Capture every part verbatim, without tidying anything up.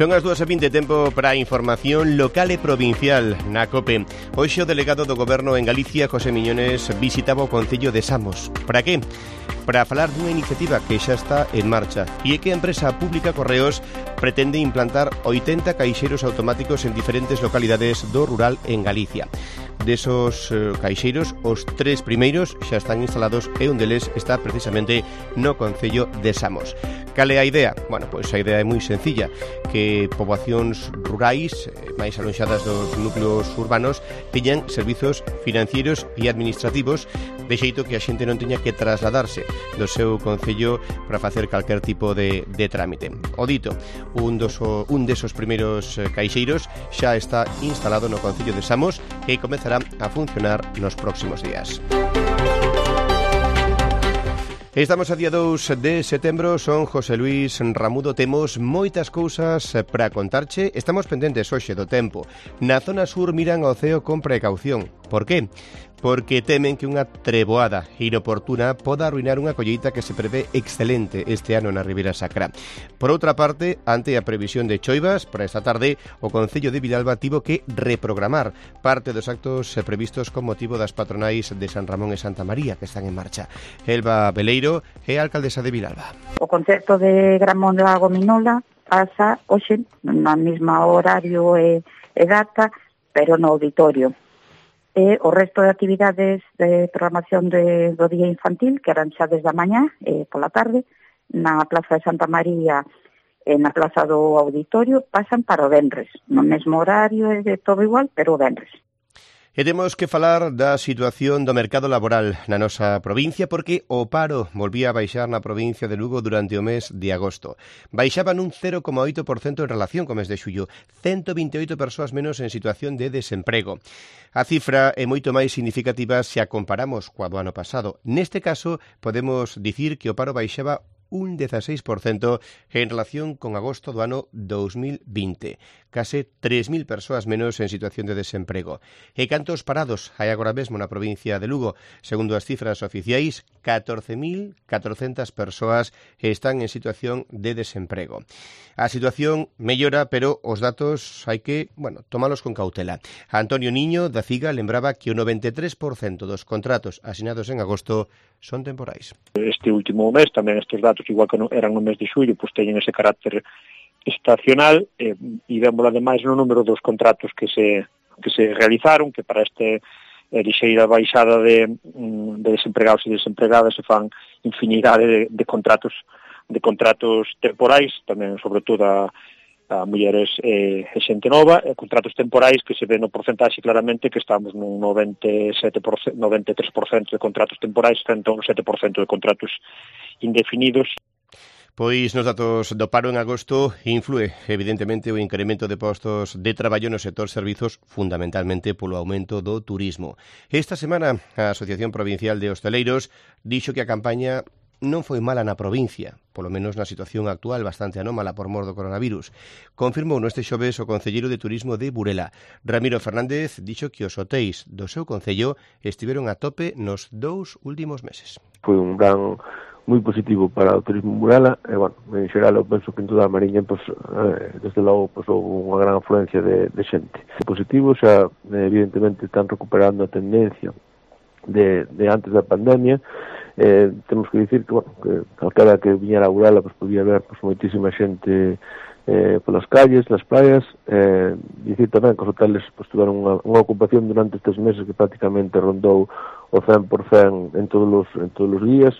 Son as dúas e vinte, tempo para a información local e provincial na COPE. Hoxe o delegado do Goberno en Galicia, José Miñones, visitaba o Concello de Samos. Para que? Para falar dunha iniciativa que xa está en marcha e é que a empresa pública Correos pretende implantar oitenta caixeiros automáticos en diferentes localidades do rural en Galicia. Desos eh, caixeiros, os tres primeiros xa están instalados e un deles está precisamente no Concello de Samos. Cal é a idea? Bueno, pois a idea é moi sencilla, que poboacións rurais máis alonxadas dos núcleos urbanos teñan servizos financeiros e administrativos, de xeito que a xente non teña que trasladarse do seu concello para facer calquer tipo de, de trámite. O dito, un, dos, un desos primeiros caixeiros xa está instalado no Concello de Samos e comezará a funcionar nos próximos días. Estamos a día dous de setembro, son José Luis Ramudo, temos moitas cousas para contarche. Estamos pendentes hoxe do tempo. Na zona sur miran ao ceo con precaución. Por que? Porque temen que unha treboada inoportuna poda arruinar unha colleita que se prevé excelente este ano na Ribeira Sacra. Por outra parte, ante a previsión de choivas para esta tarde, o Concello de Vilalba tivo que reprogramar parte dos actos previstos con motivo das patronais de San Ramón e Santa María que están en marcha. Elba Beleiro é a alcaldesa de Vilalba. O concerto de Gramón de Lago Minola pasa hoxe na mesma horario e, e data, pero no auditorio. E o resto de actividades de programación de, do día infantil, que eran xa desde a mañá e pola tarde, na Plaza de Santa María e na Plaza do Auditorio, pasan para o venres. No mesmo horario e de todo igual, pero o venres. E temos que falar da situación do mercado laboral na nosa provincia porque o paro volvía a baixar na provincia de Lugo durante o mes de agosto. Baixaba nun cero coma oito por cento en relación co mes de xullo, ciento vinte e oito persoas menos en situación de desemprego. A cifra é moito máis significativa se a comparamos coa do ano pasado. Neste caso, podemos dicir que o paro baixaba un dezasseis por cento en relación con agosto do ano dous mil vinte. Case tres mil persoas menos en situación de desemprego. E cantos parados hai agora mesmo na provincia de Lugo? Segundo as cifras oficiais, catorce mil catrocentas persoas están en situación de desemprego. A situación mellora, pero os datos hai que, bueno, tomalos con cautela. Antonio Niño, da CIGA, lembraba que o noventa e tres por cento dos contratos asinados en agosto son temporais. Este último mes, tamén estes datos, igual que eran no mes de xullo, pois teñen ese carácter estacional, eh, e vemos ademais no número dos contratos que se que se realizaron, que para este eh, lixeira baixada de, de desempregados e desempregadas se fan infinidade de, de contratos de contratos temporais, tamén sobre todo a, a mulleres e, e xente nova, e contratos temporais que se ven no porcentaxe claramente que estamos nun noventa e sete por cento, noventa e tres por cento de contratos temporais, frente a un sete por cento de contratos indefinidos. Pois nos datos do paro en agosto influe, evidentemente, o incremento de postos de traballo no sector servizos, fundamentalmente polo aumento do turismo. Esta semana, a Asociación Provincial de Hosteleiros dixo que a campaña non foi mala na provincia, polo menos na situación actual bastante anómala por mor do coronavirus. Confirmou neste xoves o concelleiro de turismo de Burela. Ramiro Fernández dixo que os hotéis do seu concello estiveron a tope nos dous últimos meses. Foi un gran moi positivo para o turismo Burela, e, bueno, en xeral eu penso que en toda a Mariña, pues, eh, desde logo, pues, houve unha gran afluencia de, de xente. Positivo, xa, evidentemente, están recuperando a tendencia de, de antes da pandemia. Eh, temos que dicir que, bueno, que calquera que viñera a Burela, pues, podía ver, pues, moitísima xente eh, polas calles, nas praias, eh, dicir tamén que os hoteles, pues, tiveron unha, unha ocupación durante estes meses que prácticamente rondou o cen por cento en todos os, en todos os días.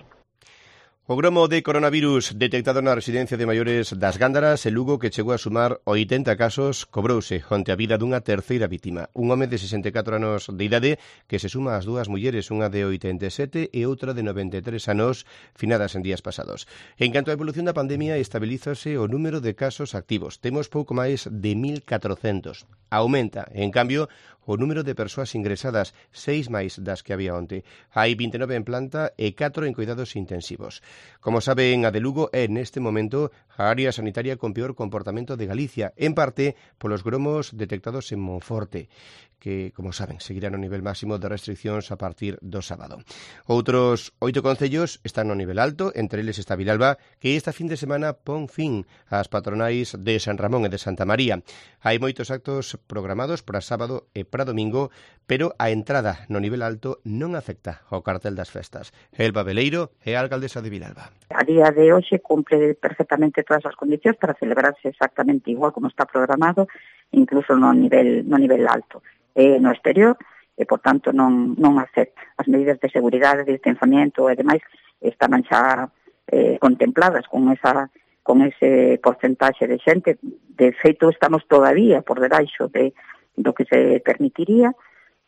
O gromo de coronavirus detectado na residencia de maiores das Gándaras en Lugo, que chegou a sumar oitenta casos, cobrouse onte a vida dunha terceira vítima. Un home de sesenta e catro anos de idade que se suma ás dúas mulleres, unha de oitenta e sete e outra de noventa e tres anos, finadas en días pasados. En canto á evolución da pandemia, estabilízase o número de casos activos. Temos pouco máis de mil catrocentos. Aumenta, en cambio, o número de persoas ingresadas, seis máis das que había onte. Hai vinte e nove en planta e catro en cuidados intensivos. Como saben, a de Lugo é neste momento a área sanitaria con peor comportamento de Galicia, en parte polos gromos detectados en Monforte, que, como saben, seguirán o nivel máximo de restriccións a partir do sábado. Outros oito concellos están no nivel alto, entre eles está Vilalba, que esta fin de semana pon fin ás patronais de San Ramón e de Santa María. Hai moitos actos programados para sábado e para domingo, pero a entrada no nivel alto non afecta ao cartel das festas. Elba Veleiro é a alcaldesa de Vilalba. A día de hoxe cumpre perfectamente todas as condicións para celebrarse exactamente igual como está programado, incluso no nivel no nivel alto. Eh, no exterior, e, por tanto, non, non afecta. As medidas de seguridade, de distanciamento e demais están xa eh, contempladas con esa con ese porcentaxe de xente. De feito, estamos todavía por debaixo de, do que se permitiría,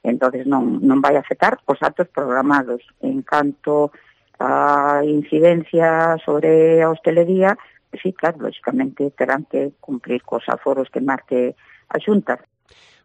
entonces non, non vai afectar os actos programados. En canto a incidencia sobre a hostelería, sí, claro, lógicamente terán que cumplir cos aforos que marque a Xunta.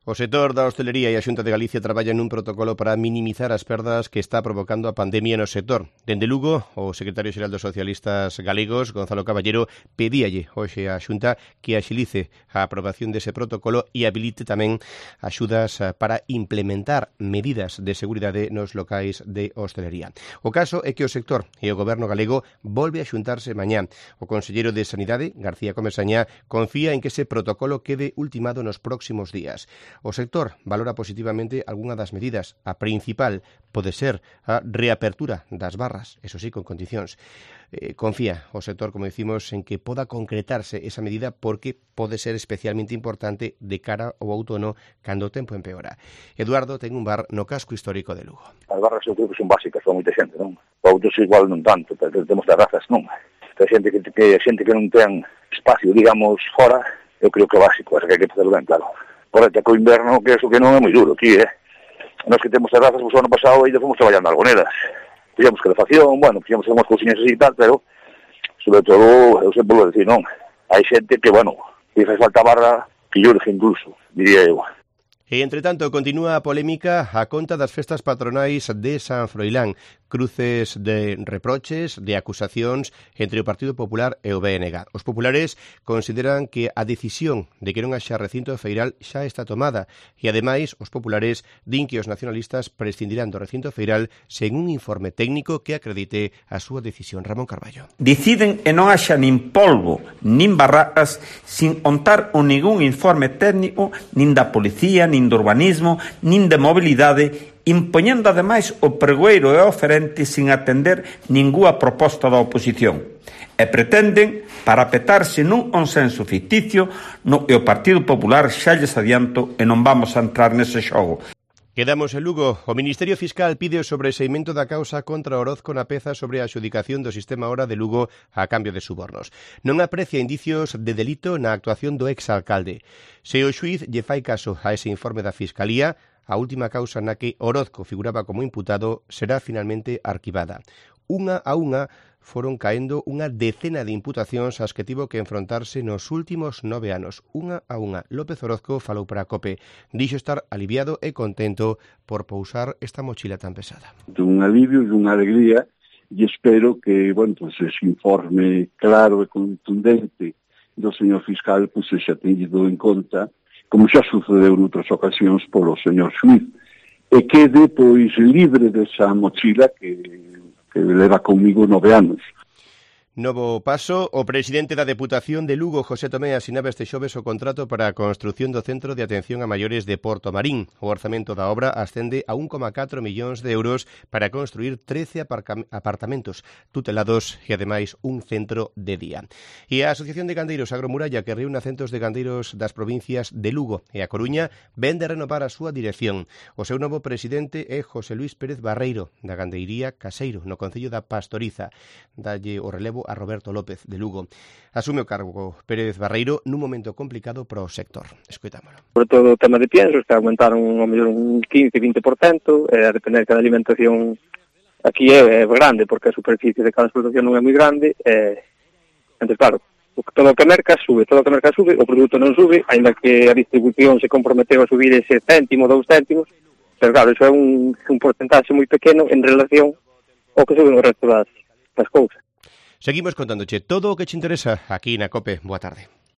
O sector da hostelería e a Xunta de Galicia traballan nun protocolo para minimizar as perdas que está provocando a pandemia no sector. Dende Lugo, o secretario xeral dos socialistas galegos, Gonzalo Caballero, pedíalle hoxe á Xunta que axilice a aprobación dese protocolo e habilite tamén axudas para implementar medidas de seguridade nos locais de hostelería. O caso é que o sector e o goberno galego volve a xuntarse mañá. O conselleiro de Sanidade, García Comesaña, confía en que ese protocolo quede ultimado nos próximos días. O sector valora positivamente algunha das medidas. A principal pode ser a reapertura das barras, eso sí, con condicións. Eh, confía o sector, como decimos, en que poda concretarse esa medida porque pode ser especialmente importante de cara ao outono cando o tempo empeora. Eduardo ten un bar no casco histórico de Lugo. As barras eu creo que son básicas para moita xente, non? Para outros igual non tanto, pero temos terrazas, non? A xente que, que, a xente que non ten espacio, digamos, fora, eu creo que é básico, é que hai que facerlo ben, claro. Correcto, que o inverno, que eso que non é moi duro aquí, eh? Nós que temos terrazas, pues, o ano pasado ainda fomos traballando algoneras. Fixemos calefacción, bueno, fixemos unhas cousiñas así e tal, pero, sobre todo, eu sempre vou decir, non, hai xente que, bueno, que faz falta barra, que yo deje incluso, diría eu. E, entre tanto, continúa a polémica a conta das festas patronais de San Froilán. Cruces de reproches, de acusacións entre o Partido Popular e o B N G. Os populares consideran que a decisión de que non haxa recinto feiral xa está tomada e, ademais, os populares din que os nacionalistas prescindirán do recinto feiral sen un informe técnico que acredite a súa decisión. Ramón Carballo. Deciden e non haxa nin polvo, nin barracas, sin ontar o ningún informe técnico, nin da policía, nin do urbanismo, nin de mobilidade, impoñendo ademais o pregoeiro e o oferente sin atender ningunha proposta da oposición. E pretenden parapetarse nun consenso ficticio no que o Partido Popular xa lles adianto e non vamos a entrar nese xogo. Quedamos en Lugo. O Ministerio Fiscal pide o sobreseimento da causa contra Orozco na peza sobre a adxudicación do sistema Hora de Lugo a cambio de subornos. Non aprecia indicios de delito na actuación do exalcalde. Se o xuíz lle fai caso a ese informe da Fiscalía, a última causa na que Orozco figuraba como imputado será finalmente arquivada. Unha a unha foron caendo unha decena de imputacións ás que tivo que enfrontarse nos últimos nove anos. Unha a unha. López Orozco falou para a COPE. Dixo estar aliviado e contento por pousar esta mochila tan pesada. Un alivio e unha alegría e espero que, bueno, pues ese informe claro e contundente do señor fiscal pues se xa tenido en conta, como xa sucedeu noutras ocasións polo señor xuíz, e quede, pois, libre desa mochila que que leva comigo nove anos. Novo paso, o presidente da Deputación de Lugo, José Tomé, asinaba este xoves o contrato para a construción do Centro de Atención a Maiores de Porto Marín. O orzamento da obra ascende a un coma catro millóns de euros para construir trece apartamentos tutelados e, ademais, un centro de día. E a Asociación de Gandeiros Agromuralla, que reúne a centos de gandeiros das provincias de Lugo e a Coruña, ven de renovar a súa dirección. O seu novo presidente é José Luís Pérez Barreiro, da Gandeiría Caseiro, no Concello da Pastoriza. Dalle o relevo a Roberto López de Lugo. Asume o cargo Pérez Barreiro nun momento complicado para o sector. Escoitámolo. Sobre todo o tema de piensos, que aumentaron ao mellor un quince a vinte por cento, e a depender que a alimentación aquí é, é grande, porque a superficie de cada explotación non é moi grande, e, entonces, claro, todo o que merca sube, todo o que merca sube, o produto non sube, ainda que a distribución se comprometeu a subir ese céntimo, dous céntimos, pero claro, iso é un, un porcentaxe moi pequeno en relación ao que sube no resto das, das cousas. Seguimos contándoche todo o que te interesa aquí na COPE. Boa tarde.